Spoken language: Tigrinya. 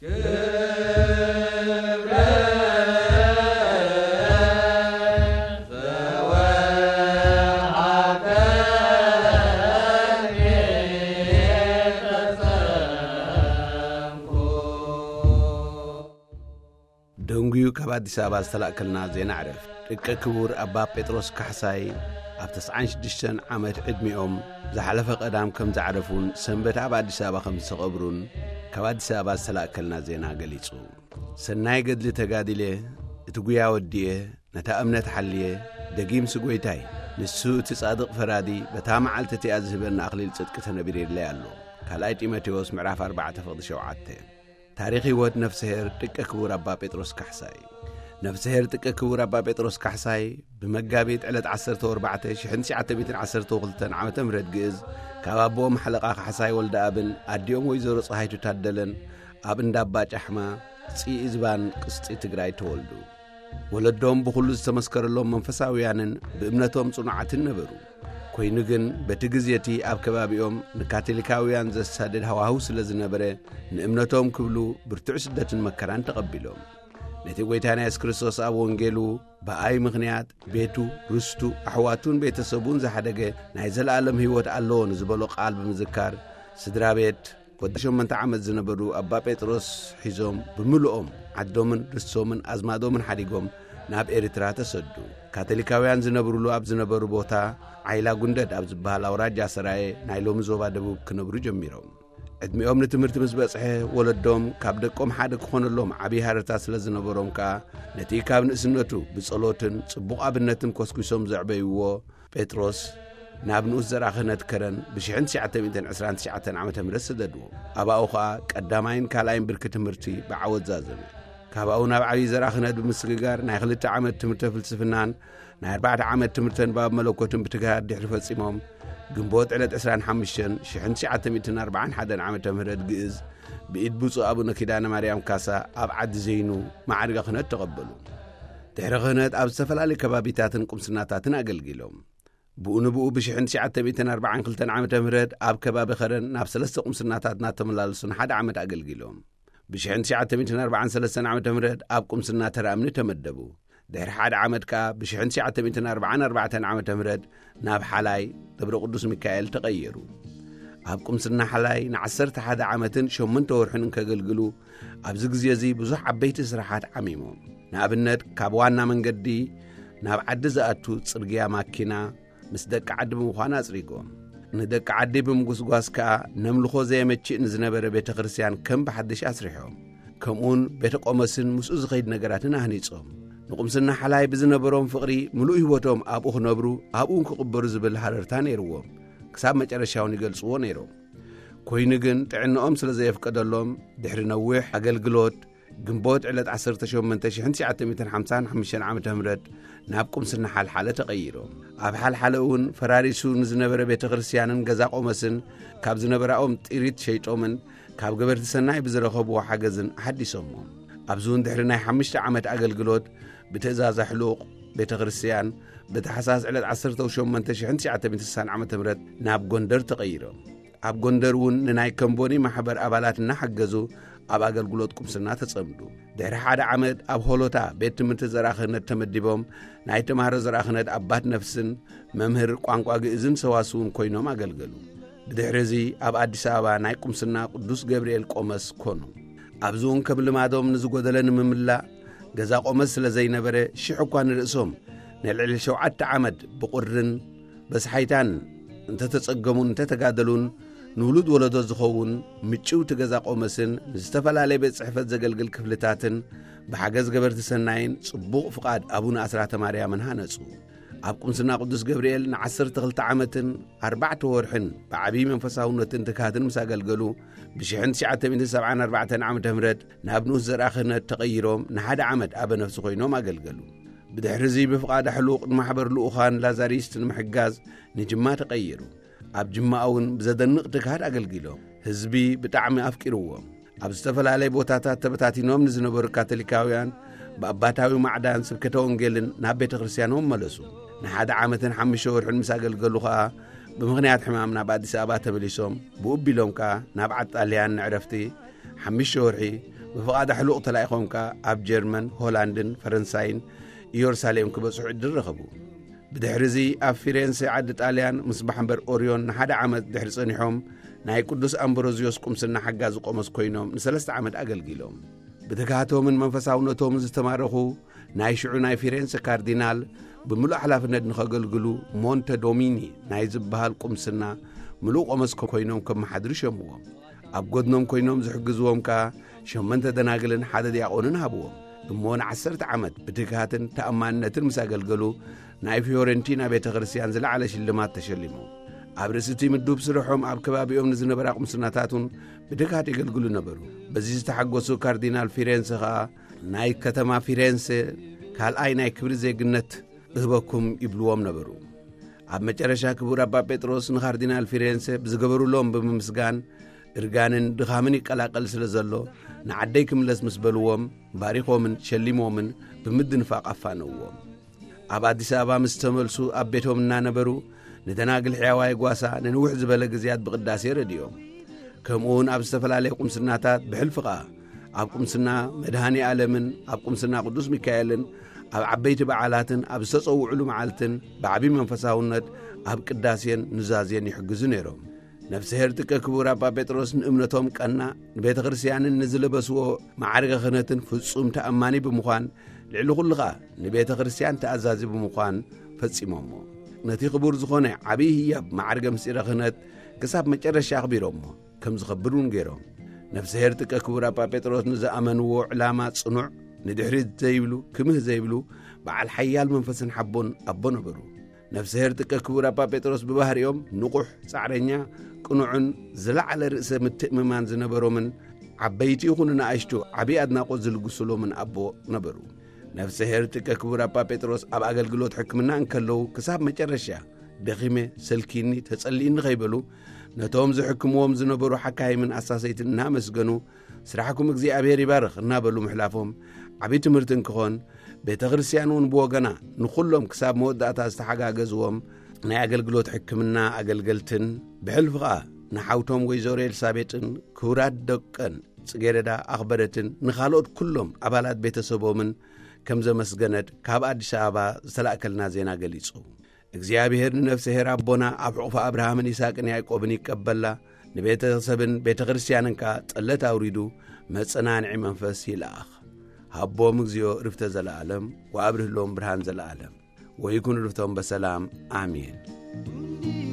ክብረ ተወሃበኒ ተጸምኩ። ደንጉዩ ካብ ኣዲስ ኣበባ ዝተላእከልና ዜና ዕረፍት። ደቂ ክቡር ኣባ ጴጥሮስ ካሕሳይ ኣብ ተስዓን ሽዱሽተን ዓመት ዕድሚኦም ዝሓለፈ ቀዳም ከም ዝዓረፉን ሰንበት ኣብ ኣዲስ ኣበባ ከም ዝተቐብሩን ካብ ኣዲስ ኣበባ ዝተላእከልና ዜና ገሊጹ። ሰናይ ገድሊ ተጋዲለ፣ እቲ ጉያ ወዲኤ፣ ነታ እምነት ሓልየ፣ ደጊምሲ ጐይታይ፣ ንሱ እቲ ጻድቕ ፈራዲ፣ በታ መዓልቲ እቲኣ ዝህበኒ ኣኽሊል ጽድቂ ተነቢርለይ ኣሎ። ካልኣይ ጢሞቴዎስ ምዕራፍ ኣርባዕተ ፍቕዲ ሸውዓተ። ታሪኽ ህይወት ነፍስሄር ጥቀ ክቡር ኣባ ጴጥሮስ ካሕሳይ። ነፍስሄር ጥቀ ክቡር ኣባ ጴጥሮስ ካሕሳይ ብመጋቢት ዕለት ዓሰርተ ኣርባዕተ ሽሕን ትሽዓተ ሚእትን ዓሰርተ ክልተን ዓመተ ምህረት ግእዝ ካብ ኣቦኦም ሓለቓ ካሕሳይ ወልደኣብን ኣዲኦም ወይዘሮ ጸሃይቱ ታደለን ኣብ እንዳ ኣባ ጫሕማ ጽኢ ዝባን ቅስጢ ትግራይ ተወልዱ። ወለዶም ብኹሉ ዝተመስከረሎም መንፈሳውያንን ብእምነቶም ጽኑዓትን ነበሩ። ኮይኑ ግን በቲ ግዜ እቲ ኣብ ከባቢኦም ንካቶሊካውያን ዘሳድድ ሃዋህው ስለ ዝነበረ ንእምነቶም ክብሉ ብርቱዕ ስደትን መከራን ተቐቢሎም። ነቲ ጐይታና የሱስ ክርስቶስ ኣብ ወንጌሉ ብኣይ ምኽንያት ቤቱ፣ ርስቱ፣ ኣሕዋቱን ቤተሰቡን ዝሓደገ ናይ ዘለኣለም ህይወት ኣለዎ ንዝበሎ ቃል ብምዝካር ስድራ ቤት ወዲ ሸሞንተ ዓመት ዝነበሩ ኣባ ጴጥሮስ ሒዞም ብምልኦም ዓዶምን ርስቶምን ኣዝማዶምን ሓዲጎም ናብ ኤርትራ ተሰዱ። ካቶሊካውያን ዝነብሩሉ ኣብ ዝነበሩ ቦታ ዓይላ ጉንደድ ኣብ ዝበሃል ኣውራጃ ሰራየ ናይ ሎሚ ዞባ ደቡብ ክነብሩ ጀሚሮም። ዕድሚኦም ንትምህርቲ ምስ በጽሐ ወለዶም ካብ ደቆም ሓደ ክኾነሎም ዓብዪ ሃረርታ ስለ ዝነበሮም ከኣ ነቲ ካብ ንእስነቱ ብጸሎትን ጽቡቕ ኣብነትን ኮስኪሶም ዘዕበይዎ ጴጥሮስ ናብ ንኡስ ዘርኣ ክህነት ከረን ብሽሕን ትሽዓተ ሚእትን ዕስራን ትሽዓተን ዓመተ ምህረት ሰደድዎ። ኣብኡ ኸኣ ቀዳማይን ካልኣይን ብርኪ ትምህርቲ ብዓወት ዛዘመ። ካብኡ ናብ ዓብዪ ዘርኣ ክህነት ብምስግጋር ናይ ክልተ ዓመት ትምህርተ ፍልስፍናን ናይ ኣርባዕተ ዓመት ትምህርተ ንባብ መለኮትን ብትግሃት ድሕሪ ፈጺሞም፣ ግንቦት ዕለት ዕስራን ሓሙሽተን ሽሕን ትሽዓተ ሚእትን ኣርባዓን ሓደን ዓመተ ምህረት ግእዝ ብኢድ ብፁዕ ኣቡነ ኪዳነ ማርያም ካሳ ኣብ ዓዲ ዘይኑ ማዕርገ ክህነት ተቐበሉ። ድሕሪ ክህነት ኣብ ዝተፈላለዩ ከባቢታትን ቁምስናታትን ኣገልጊሎም። ብኡ ንብኡ ብሽሕን ትሽዓተ ሚእትን ኣርባዓን ክልተን ዓመተ ምህረት ኣብ ከባቢ ከረን ናብ ሰለስተ ቁምስናታት እናተመላለሱ ንሓደ ዓመት ኣገልጊሎም። ብሽሕን ትሽዓተ ሚእትን ኣርባዓን ሰለስተን ዓመተ ምህረት ኣብ ቁምስና ተራ እምኒ ተመደቡ። ድሕሪ ሓደ ዓመት ከኣ ብሽሕን ትሽዓተ ሚእትን ኣርባዓን ኣርባዕተን ዓመተ ምህረት ናብ ሓላይ ደብረ ቅዱስ ሚካኤል ተቐየሩ። ኣብ ቁምስና ሓላይ ንዓሰርተ ሓደ ዓመትን ሸሞንተ ወርሕን እንከገልግሉ ኣብዚ ግዜ እዚ ብዙሕ ዓበይቲ ስራሓት ዓሚሞም። ንኣብነት ካብ ዋና መንገዲ ናብ ዓዲ ዝኣቱ ጽርግያ ማኪና ምስ ደቂ ዓዲ ብምዃን ኣጽሪጎም። ንደቂ ዓዲ ብምጉስጓስ ከኣ ነምልኾ ዘየመችእ ንዝነበረ ቤተ ክርስቲያን ከም ብሓድሽ ኣስሪሖም። ከምኡውን ቤተ ቆመስን ምስኡ ዝኸይድ ነገራትን ኣህኒጾም። ንቁምስና ሓላይ ብዝነበሮም ፍቕሪ ምሉእ ህይወቶም ኣብኡ ክነብሩ ኣብኡን ክቕበሩ ዝብል ሃረርታ ነይርዎም። ክሳብ መጨረሻውን ይገልጽዎ ነይሮም። ኮይኑ ግን ጥዕናኦም ስለ ዘየፍቀደሎም ድሕሪ ነዊሕ ኣገልግሎት ግንቦት ዕለት ዓሰርተ ሸሞንተ ሽሕን ትሽዓተ ሚእትን ሓምሳን ሓሙሽተን ዓመተ ምህረት ናብ ቁምስና ሓልሓለ ተቐይሮም። ኣብ ሓልሓለ እውን ፈራሪሱ ንዝነበረ ቤተ ክርስቲያንን ገዛ ቆመስን ካብ ዝነበራኦም ጥሪት ሸይጦምን ካብ ገበርቲ ሰናይ ብዝረኸብዎ ሓገዝን ኣሓዲሶሞ። ኣብዚ እውን ድሕሪ ናይ ሓሙሽተ ዓመት ኣገልግሎት ብትእዛዝ ኣሕሉቕ ቤተ ክርስቲያን ብታሕሳስ ዕለት ዓሰርተ ሸሞንተ ሽሕን ትሽዓተ ሚእትን ስሳን ዓመተ ምህረት ናብ ጎንደር ተቐይሮም። ኣብ ጎንደር እውን ንናይ ከምቦኒ ማሕበር ኣባላት እናሓገዙ ኣብ ኣገልግሎት ቁምስና ተጸምዱ። ድሕሪ ሓደ ዓመት ኣብ ሆሎታ ቤት ትምህርቲ ዘርኣ ክህነት ተመዲቦም ናይ ተማሃሮ ዘርኣ ክህነት ኣባት ነፍስን መምህር ቋንቋ ግእዝን ሰዋስውን ኮይኖም ኣገልገሉ። ብድሕሪ እዚ ኣብ ኣዲስ ኣበባ ናይ ቁምስና ቅዱስ ገብርኤል ቆመስ ኮኑ። ኣብዚ እውን ከም ልማዶም ንዝጎደለ ንምምላእ ገዛ ቆመስ ስለ ዘይነበረ ሽሕ እኳ ንርእሶም ንልዕሊ ሸውዓተ ዓመት ብቑርን በስሓይታን እንተተጸገሙን እንተተጋደሉን ንውሉድ ወለዶ ዝኸውን ምጭውቲ ገዛ ቆመስን ንዝተፈላለየ ቤት ጽሕፈት ዘገልግል ክፍልታትን ብሓገዝ ገበርቲ ሰናይን ጽቡቕ ፍቓድ ኣቡነ ኣስራተ ማርያምን ሃነጹ። ኣብ ቁምስና ቅዱስ ገብርኤል ንዓሰርተ ክልተ ዓመትን ኣርባዕተ ወርሕን ብዓብዪ መንፈሳውነትን ትግሃትን ምስ ኣገልገሉ ብሽሕን ትሽዓተ ሚእትን ሰብዓን ኣርባዕተን ዓመተ ምህረት ናብ ንኡስ ዘርኣ ክህነት ተቐይሮም ንሓደ ዓመት ኣበ ነፍሲ ኮይኖም ኣገልገሉ። ብድሕሪ እዚ ብፍቓድ ኣሕሉቕ ንማሕበር ልኡኻን ላዛሪስት ንምሕጋዝ ንጅማ ተቐይሩ። ኣብ ጅማ እውን ብዘደንቕ ትግሃት ኣገልጊሎም። ህዝቢ ብጣዕሚ ኣፍቂርዎም። ኣብ ዝተፈላለየ ቦታታት ተበታቲኖም ንዝነበሩ ካቶሊካውያን ብኣባታዊ ማዕዳን ስብከተ ወንጌልን ናብ ቤተ ክርስቲያኖም መለሱ። ንሓደ ዓመትን ሓሙሽተ ወርሕን ምስ ኣገልገሉ ኸኣ ብምኽንያት ሕማም ናብ ኣዲስ ኣበባ ተመሊሶም ብኡ ኣቢሎም ከኣ ናብ ዓዲ ጣልያን ንዕረፍቲ ሓሙሽተ ወርሒ ብፍቓድ ኣሕሉቕ ተላኢኾም ከኣ ኣብ ጀርመን፣ ሆላንድን ፈረንሳይን ኢየሩሳሌም ክበጽሑ ዕድል ረኸቡ። ብድሕሪ እዚ ኣብ ፊሬንሴ ዓዲ ጣልያን ምስ ማሕበር ኦርዮን ንሓደ ዓመት ድሕሪ ጸኒሖም፣ ናይ ቅዱስ ኣምብሮዝዮስ ቁምስና ሓጋዚ ቆሞስ ኮይኖም ንሰለስተ ዓመት ኣገልጊሎም። ብትግሃቶምን መንፈሳውነቶምን ዝተማረኹ ናይ ሽዑ ናይ ፊሬንሴ ካርዲናል ብምሉእ ሓላፍነት ንኸገልግሉ ሞንተ ዶሚኒ ናይ ዝበሃል ቁምስና ምሉእ ቆሞስ ኮይኖም ከመሓድሩ ሸምዎም። ኣብ ጎድኖም ኮይኖም ዝሕግዝዎም ከኣ ሸመንተ ደናግልን ሓደ ዲያቆንን ሃብዎም። እሞ ንዓሰርተ ዓመት ብትግሃትን ተኣማንነትን ምስ ኣገልገሉ ናይ ፊዮረንቲና ቤተ ክርስቲያን ዝለዓለ ሽልማት ተሸሊሞም። ኣብ ርእሲ እቲ ምዱብ ስርሖም ኣብ ከባቢኦም ንዝነበራ ቁምስናታት እውን ብትግሃት የገልግሉ ነበሩ። በዚ ዝተሓጎሱ ካርዲናል ፊሬንሰ ኸኣ ናይ ከተማ ፊሬንሰ ካልኣይ ናይ ክብሪ ዜግነት እህበኩም ይብልዎም ነበሩ። ኣብ መጨረሻ ክቡር ኣባ ጴጥሮስ ንካርዲናል ፊሬንሰ ብዝገበሩሎም ብምምስጋን እርጋንን ድኻምን ይቀላቀል ስለ ዘሎ ንዓደይ ክምለስ ምስ በልዎም ባሪኾምን ሸሊሞምን ብምድንፋቕ ኣፋነውዎም። ኣብ ኣዲስ ኣበባ ምስ ተመልሱ ኣብ ቤቶም እናነበሩ ንደናግል ሕያዋይ ጓሳ ንንውሕ ዝበለ ግዜያት ብቕዳሴ ረድዮም። ከምኡውን ኣብ ዝተፈላለየ ቁምስናታት ብሕልፊ ኸኣ ኣብ ቁምስና መድሃኒ ዓለምን ኣብ ቁምስና ቅዱስ ሚካኤልን ኣብ ዓበይቲ በዓላትን ኣብ ዝተጸውዕሉ መዓልትን ብዓቢ መንፈሳውነት ኣብ ቅዳሴን ኑዛዜን ይሕግዙ ነይሮም። ነፍስሄር ጥቀ ክቡር ኣባ ጴጥሮስ ንእምነቶም ቀና፣ ንቤተ ክርስቲያንን ንዝለበስዎ ማዕርገ ክህነትን ፍጹም ተኣማኒ ብምዃን፣ ልዕሊ ኩሉ ኸኣ ንቤተ ክርስቲያን ተኣዛዚ ብምዃን ፈጺሞሞ። ነቲ ክቡር ዝኾነ ዓብዪ ህያብ ማዕርገ ምስጢረ ክህነት ክሳብ መጨረሻ ኣኽቢሮሞ ከም ዝኸብር እውን ገይሮም። ነፍስሄር ጥቀ ክቡር ኣባ ጴጥሮስ ንዝኣመንዎ ዕላማ ጽኑዕ፣ ንድሕሪት ዘይብሉ፣ ክምህ ዘይብሉ፣ በዓል ሓያል መንፈስን ሓቦን ኣቦ ነበሩ። ነፍስሄር ጥቀ ክቡር ኣባ ጴጥሮስ ብባህሪኦም ንቑሕ፣ ጻዕረኛ፣ ቅኑዕን ዝለዓለ ርእሰ ምትእምማን ዝነበሮምን ዓበይቲ ይኹኑ ንኣሽቱ ዓቢ ኣድናቖት ዝልግሱሎምን ኣቦ ነበሩ። ነፍስሄር ጥቀ ክቡር ኣባ ጴጥሮስ ኣብ ኣገልግሎት ሕክምና እንከለዉ ክሳብ መጨረሻ ደኺመ፣ ሰልኪኒ፣ ተጸሊእኒ ከይበሉ ነቶም ዝሕክምዎም ዝነበሩ ሓካይምን ኣሳሰይትን እናመስገኑ ስራሕኩም እግዚኣብሔር ይባርኽ እናበሉ ምሕላፎም ዓቢ ትምህርቲ እንክኾን፣ ቤተ ክርስቲያን እውን ብወገና ንኹሎም ክሳብ መወዳእታ ዝተሓጋገዝዎም ናይ ኣገልግሎት ሕክምና ኣገልገልትን ብሕልፊ ኸኣ ንሓውቶም ወይዘሮ ኤልሳቤጥን ክቡራት ደቀን ጽጌረዳ ኣኽበረትን ንኻልኦት ኩሎም ኣባላት ቤተሰቦምን ከም ዘመስገነት ካብ ኣዲስ ኣበባ ዝተላእከልና ዜና ገሊጹ። እግዚኣብሔር ንነፍስሄር ኣቦና ኣብ ሕቑፊ ኣብርሃምን ይስሐቅን ያዕቆብን ይቀበላ፣ ንቤተሰብን ቤተ ክርስቲያንን ከኣ ጠለት ኣውሪዱ መጸናንዒ መንፈስ ይልኣኽ። ሃቦም እግዚኣብሔር ዕርፍተ ዘለኣለም ወኣብርህሎም ብርሃን ዘለኣለም። ወይኩን ዕርፍቶም በሰላም። ኣሜን።